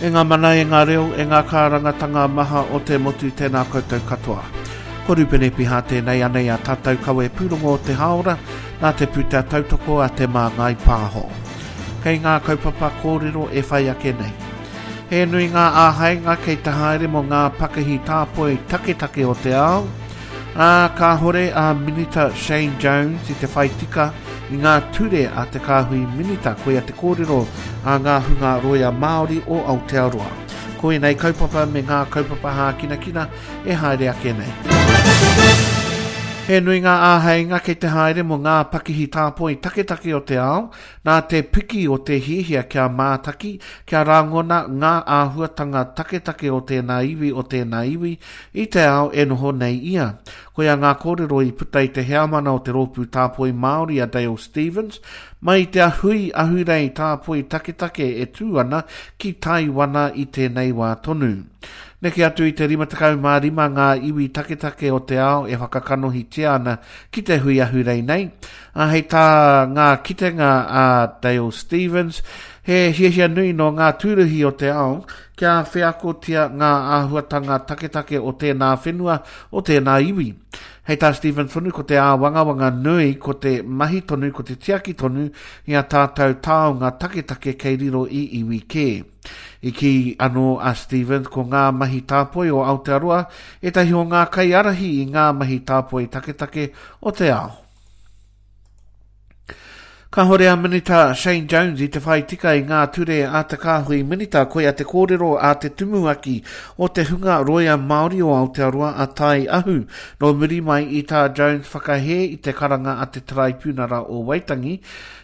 E ngā mana, e ngā reo, e ngā kārangatanga maha o te motu tēnā koutou katoa. Ko Rupene Piha tēnei anei a tātou kawe pūrongo o te hāora, nā te pūtea tautoko a Te Māngai Pāho. Kei ngā kaupapa kōrero e whai ake nei. He nui ngā āheinga kei te haere mō ngā pakihi tāpoi taketake o te ao, ā, kāhore a Minita Shane Jones i te whai tika i ngā ture a te Kāhui Minita, koia te kōrero a ngā hunga rōia Māori o Aotearoa. Ko ēnei kaupapa me ngā kaupapa hākinakina e haere ake nei. He nui ngā āheinga kei te haere mō ngā pakihi tāpoi taketake o te ao, Nā te piki o te hiahia kia mātaki, kia rangona ngā āhuatanga taketake o tēnā iwi, o tēnā iwi, i te ao e noho nei ia. Koia ngā kōrero i puta i te heamana o te Rōpū Tāpoi Māori a Dale Stephens, mai i te hui ahurei tāpoi taketake e tū ana ki Taiwana i tēnei wā tonu. Neke atu i te 55 ngā iwi taketake o te ao e whakakanohitia ana ki te hui ahurei nei, Ā, hei tā ngā kitenga a Dale Stephens, he hiahia nui nō ngā tūruhi o te ao kia wheakotia ngā āhuatanga taketake o tēnā whenua, o tēnā iwi. Hei tā Stephens tonu, ko te āwangawanga nui ko te mahi tonu, ko te tiaki tonu i a tātou taonga taketake kei riro i iwi kē. I kī anō a Stephens ko ngā mahi tāpoi o Aotearoa ētahi o ngā kaiārahi i ngā mahi tāpoi taketake o te ao. Kāhore a Minita Shane Jones i te whai tika i ngā ture a te kāhui minita, koia te kōrero a te tumuaki o te hunga roia Māori o Aotearoa a Tai Ahu, nō muri mai i tā Jones whakahē i te karanga a te Taraipiunara o Waitangi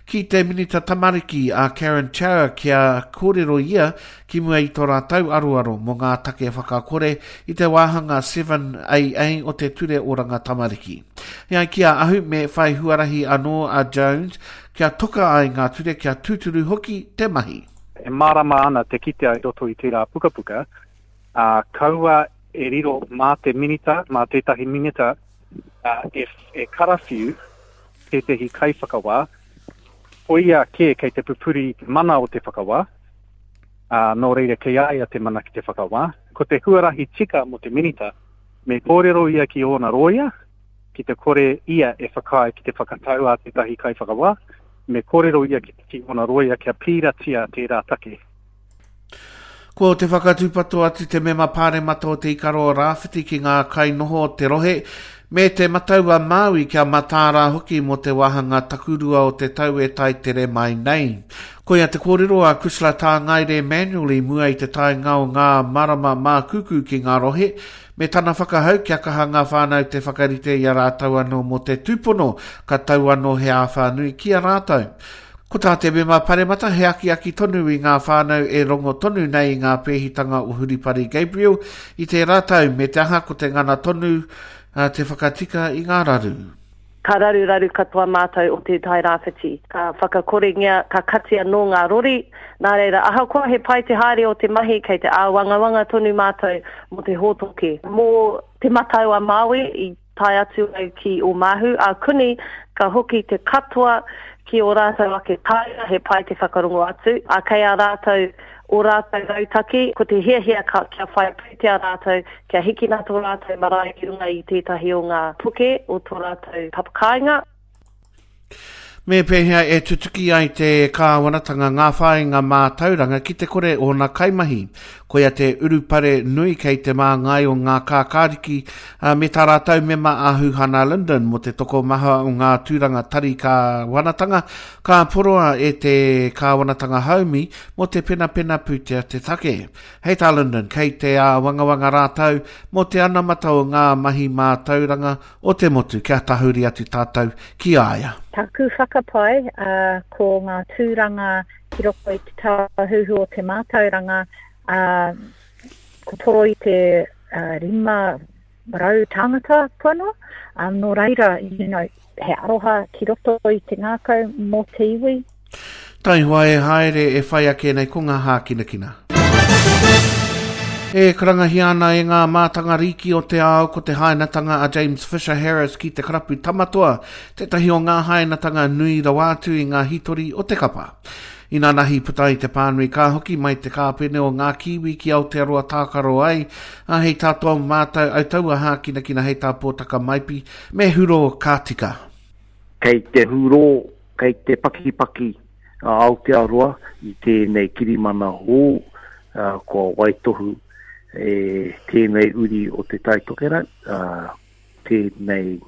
ki te Minita Tamariki a Karen Chau kia kōrero ia ki mua i tō rātou aroaro mō ngā take whakakore i te wāhanga 7AA o te Ture Oranga Tamariki. E ai ki a Ahu, me whai huarahi anō a Jones kia toka ai ngā ture kia tūturu hoki te mahi. E mārama ana te kitea i roto i tērā pukapuka, ā, kaua e riro mā te minita, mā tētahi minita e, e karawhiu tētahi kaiwhakawā, koia kē kei te pupuri i te mana o te whakawā, ā, nō reira kei a ia te mana ki te whakawā. Ko te huarahi tika mō te minita, me kōrero ia ki ōna rōia, ki te kore ia e whakaae ki te whakatau a tētahi kaiwhakawā, me kōrero ia ki, ki ōna rōia kia pīratia tērā take. Ko te whakatūpato atu te mema pāremata o Te Ikaroa Rāwhiti ki ngā kainoho o te rohe, me Te Matau-a-Māui kia mataara hoki mō te wāhanga takurua o te tau e tae tere mai nei. Koia te kōrero a Cushla Tāngaire Manuel i mua i te taenga o ngā marama mākūkū ki ngā rohe, me tana whakahau kia kaha ngā whānau te whakarite i a rātou anō mō te tūpono ka tau anō he āwhā nui ki a rātou. Ko tā te mema paremata he akiaki tonu i ngā whānau e rongo tonu nei i ngā pēhitanga o Huripari Gabriel i tērā tau, me te aha ko te ngana tonu te whakatika i ngā raru. Ka raruraru katoa mātou o Te Tai Rāwhiti. Ka whakakorengia, ka kati anō ngā rori, nā reira ahakoa he pai te haere o te mahi kei te āwangawanga tonu mātou mō te hōtoke. Mō Te Matau a Māui i Tae atu au ki Omahu, a kuni ka hoki te katoa ki o rātou ake kāinga, he pai te whakarongo atu, a kei a rātou o rātou rautaki, ko te hiahia ka, kia whai pūtea rātou, kia hikina tō rātou marae ki runga i tētahi o ngā puke o tō rātou papakāinga. Me pēhea e tutuki ai te kāwanatanga ngā whāinga mātauranga ki te kore ōna kaimahi? Koia te urupare nui kei te māngai o ngā kākāriki me tā rātou mema a Huhana Lyndon mō te tokomaha o ngā tūranga tari kāwanatanga ka poroa e te kāwanatanga haumi mō te penapena pūtea te take. Hei tā Lyndon, kei te āwangawanga rātou mō te anamata o ngā mahi mātauranga o te motu kia tahuri atu tātou ki a ia. Taku whakapae, ko ngā tūranga ki roto i te Tāhuhu o te Mātauranga, ko toro i te 500 tāngata kua noa, nō reira, you know, he aroha ki roto i te ngākau mō te iwi. Taihoa e haere e whai ake nei ko ngā hākinakina. E karangahia ana e ngā mātanga rīki o te ao ko te hainatanga a James Fisher Harris ki te karapu Tamatoa tētahi o ngā hainatanga nui rawa atu i ngā hītori o te kapa. Inanahi puta ai te pānui ka hoki mai te kāpene o ngā Kiwi ki Aotearoa tākaro ai, ā, hei tā tō mātou au taua hākinakina hei tā Pōtaka Maipi, me huro ka tika. Kei te hurō, kei te pakipaki a Aotearoa i tēnei kirimana hou kua waitohu e tēnei uri o Te Tai Tokerau, tēnei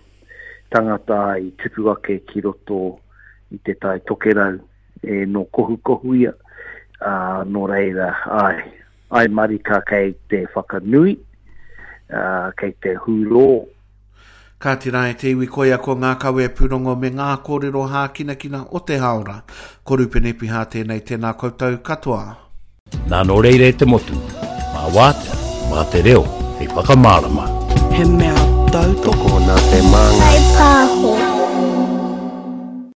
tangata i tupu ake ki roto i Te Tai Tokerau e nō Kohukohuia, ā, nō reira, āe, āe marika kei te whakanui, ā, kei te hurō. Kāti rā e te iwi koia ko ngā kawe pūrongo me ngā kōrero hākinakina o te hāora. Ko Rupene Piha tēnei tēnā koutou katoa. Nā nō reira e te motu, mā wātea, mā te reo hei whakamārama. He mea tautoko nā te māngai. Pāho.